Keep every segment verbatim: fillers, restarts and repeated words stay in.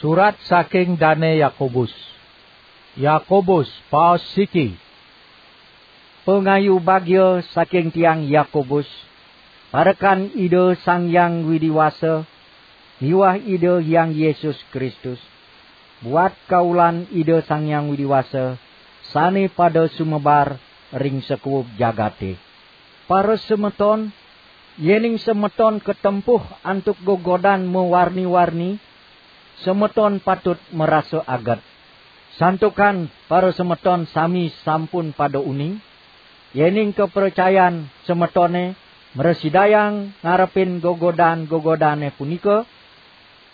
Surat saking Dane Yakobus. Yakobus, paos siki. Pangayu bagia saking tiang Yakobus, parekan Ida Sang Hyang Widi Wasa miwah Ida Hyang Yesus Kristus, buat kaulan Ida Sang Hyang Widi Wasa sane pada sumebar ring sakuub jagate. Para semeton, yening semeton katempuh antuk gegodan mawarni-warni, semeton patut marasa aget. Santukan para semeton sami sampun pada uning, yening kapracayan semetone mrasidayang ngarepin gegodan-gegodane punika,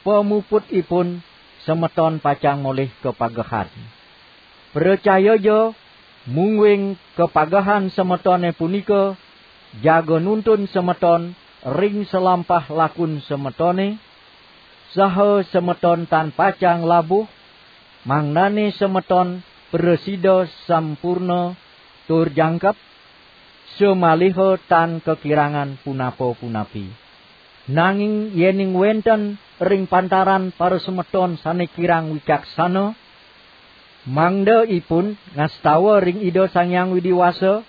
pamuputipun semeton pacang molih kapagehan. Pracayaja, mungguing kapagehan semetone punika jaga nuntun semeton ring salampah lakun semetone, saha semeton tan pacang labuh, mangdane semeton prasida sampurna tur jangkep, samaliha tan kakirangan punapa-punapi. Nanging yening wenten ring pantaran parasemeton sane kirang wicaksana, mangda ipun ngastawa ring Ida Sang Hyang Widi Wasa,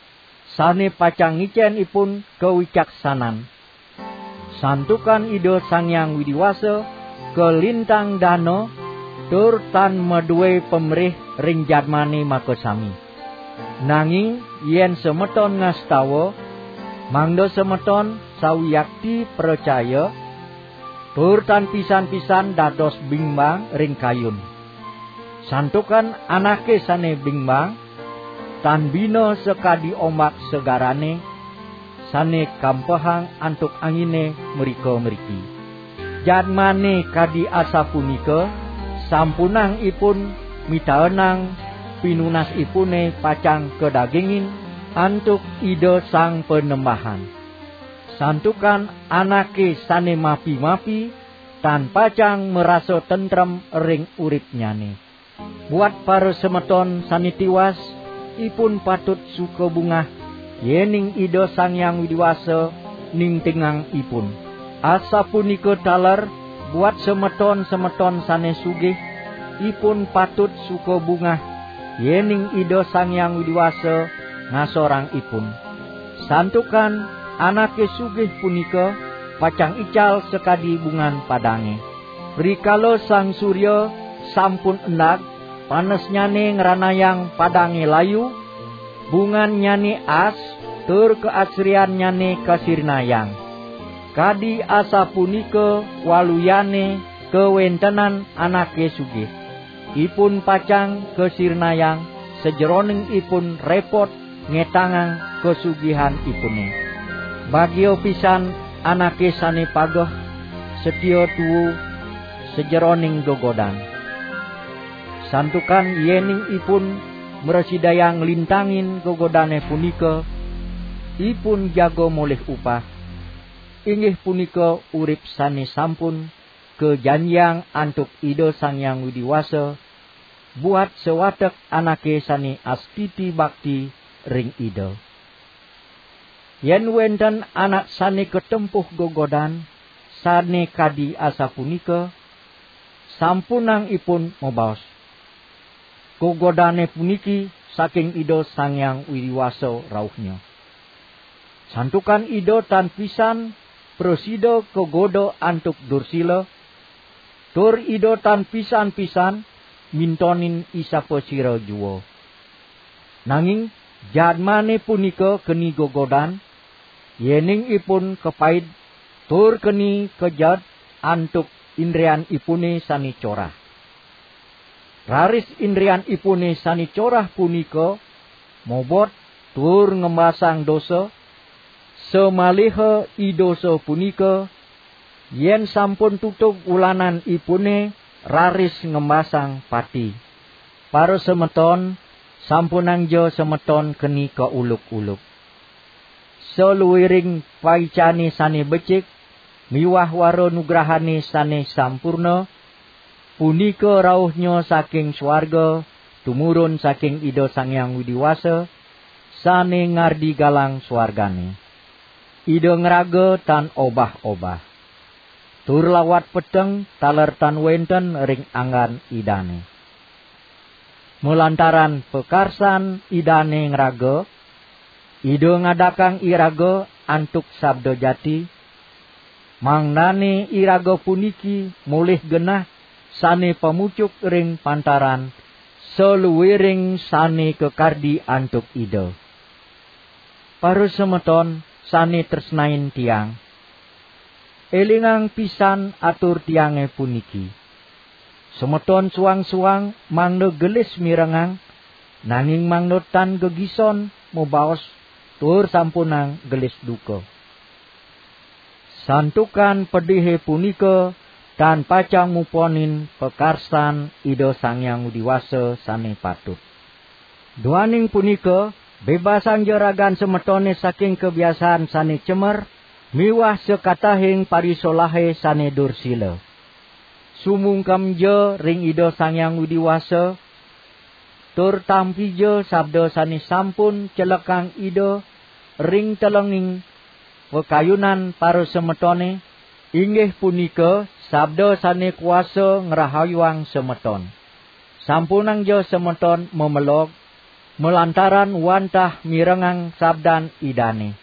sane pacang ngicen ipun kawicaksanan. Santukan Ida Sang Hyang Widi Wasa kalintang dana tur tan madue pamrih ring jadmane makasami. Nanging yen semeton ngastawa, mangda semeton sawiakti pracaya, tur tan pisan-pisan dados bimbang ring kayun. Santukan anake sane bimbang, tan bina sakadi ombak segarane, sane kampehang antuk angine mrika-mriki. Jadmane kadi asapunika, sampunang ipun mitaenang pinunasipune pacang kadagingin antuk Ida Sang Panembahan. Santukan anake sane mapi-mapi tan pacang marasa tentrem ring uripnyane. Buat parasemeton sane tiwas, ipun patut suka bungah, yening Ida Sang Hyang Widi Wasa ningtingang ipun. Asapunika taler buat semeton-semeton sane sugih, ipun patut suka bungah, yening Ida Sang Hyang Widi Wasa ngasorang ipun. Santukan anake sugih punika pacang ical sakadi bungan padange. Rikala sang surya sampun endag, panesnyane ngranayang padange layu, bungannyane as, tur kaasriannyane kasirnayang. Kadi asapunika waluyane kawentenan anake sugih. Ipun pacang kasirnayang sajeroning ipun repot ngetangang kasugihanipune. Bagia pisan anake sane pageh, satia tuu sajeroning gegodan. Santukan yening ipun mrasidayang nglintangin gegodane punika, ipun jaga molih upah, inggih punika urip sane sampun kajanjiang antuk Ida Sang Hyang Widi Wasa, buat sawatek anake sane astiti bakti ring Ida. Yen wenten anak sane katempuh gegodan sane kadi asapunika, sampunang ipun mabaos, "Gegodane puniki saking Ida Sang Hyang Widi Wasa rauhnya." Santukan Ida tan pisan prasida kagoda antuk dursila, tur Ida tan pisan-pisan mintonin isapasira jua. Nanging jadmane punika keni gegodan, yening ipun kapaid tur keni kejad antuk indrianipune sane corah. Raris indrianipune sane corah punika mobot tur ngembasang dosa, samaliha i dosa punika, yen sampun tutug ulananipune, raris ngembasang pati. Para semeton, sampunangja semeton keni kauluk-uluk. Saluiring paicane sane becik miwah wara nugrahane sane sampurna, punika rauhnya saking swarga tumurun saking Ida Sang Hyang Widi Wasa, sane ngardi galang swargane. Ida ngraga tan obah-obah. tur lawat peteng taler tan wenten ring anggan Idane. Malantaran pakarsan Idane ngraga, Ida ngadakang iraga antuk sabda jati, mangdane iraga puniki molih genah sane pamucuk ring pantaran saluiring sane kakardi antuk Ida. Para semeton sane tresnain tiang, elingang pisan atur tiange puniki. Semeton suang-suang mangda gelis mirengang, nanging mangda tan gegison mabaos tur sampunang gelis duka. Santukan pedihe punika tan pacang muponin pakarsan Ida Sang Hyang Widi Wasa sane patut. Duaning punika, bebasangja ragan semetone saking kabiasaan sane cemer miwah sakatahing parisolahe sane dursila. Sumungkemja ring Ida Sang Hyang Widi Wasa, tur tampija sabda sane sampun celekang Ida ring telenging pakayunan para semetone, inggih punika sabda sane kuasa ngrahayuang semeton. Sampunangja semeton mamelog, malantaran wantah mirengang sabdan Idane.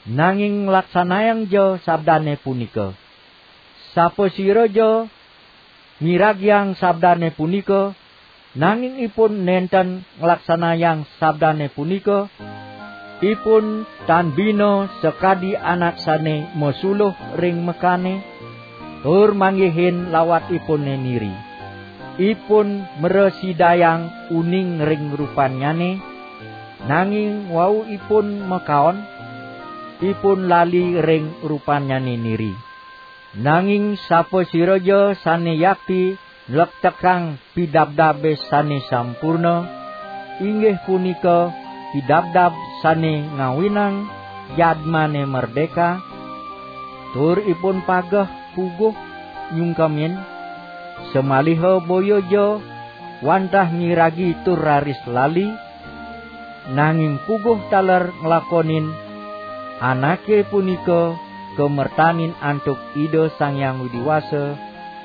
Nanging nglaksanayangja sabdane punika. Sapasiraja miragiang sabdane punika, nanging ipun nenten nglaksanayang sabdane punika, ipun tan bina sakadi anak sane masuluh ring mekane, tur manggihin lawatipune niri. Ipun mrasidayang uning ring rupannyane, nanging wau ipun makaon, ipun lali ring rupannyane niri. Nanging sapasiraja sane yakti nlektekang pidabdabe sane sampurna, inggih punika pidabdab sane ngawinang jadmane merdeka, tur ipun pageh puguh nyungkemin, samaliha boyaja wantah miragi tur raris lali, nanging puguh taler nglakonin, anake punika kamertanin antuk Ida Sang Hyang Widi Wasa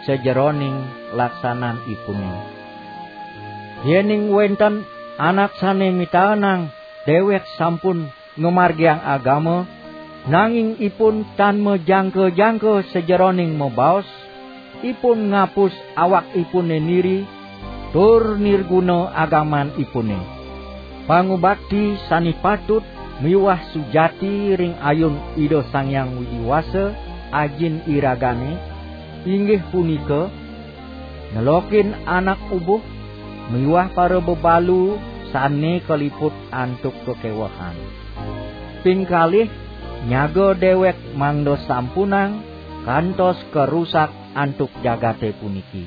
sajeroning laksananipune. Yening wenten anak sane mitaenang dewek sampun ngamargiang agama, nanging ipun tan majangka-jangka sajeroning mabaos, ipun ngapus awakipune niri, tur nirguna agamanipune. Pangubakti sane patut miwah sujati ring ayun Ida Sang Hyang Widi Wasa, Ajin iragane, inggih punika, nelokin anak ubuh miwah para bebalu sane kaliput antuk kakewehan. Ping kalih, nyaga dewek mangda sampunang kantos karusak antuk jagate puniki.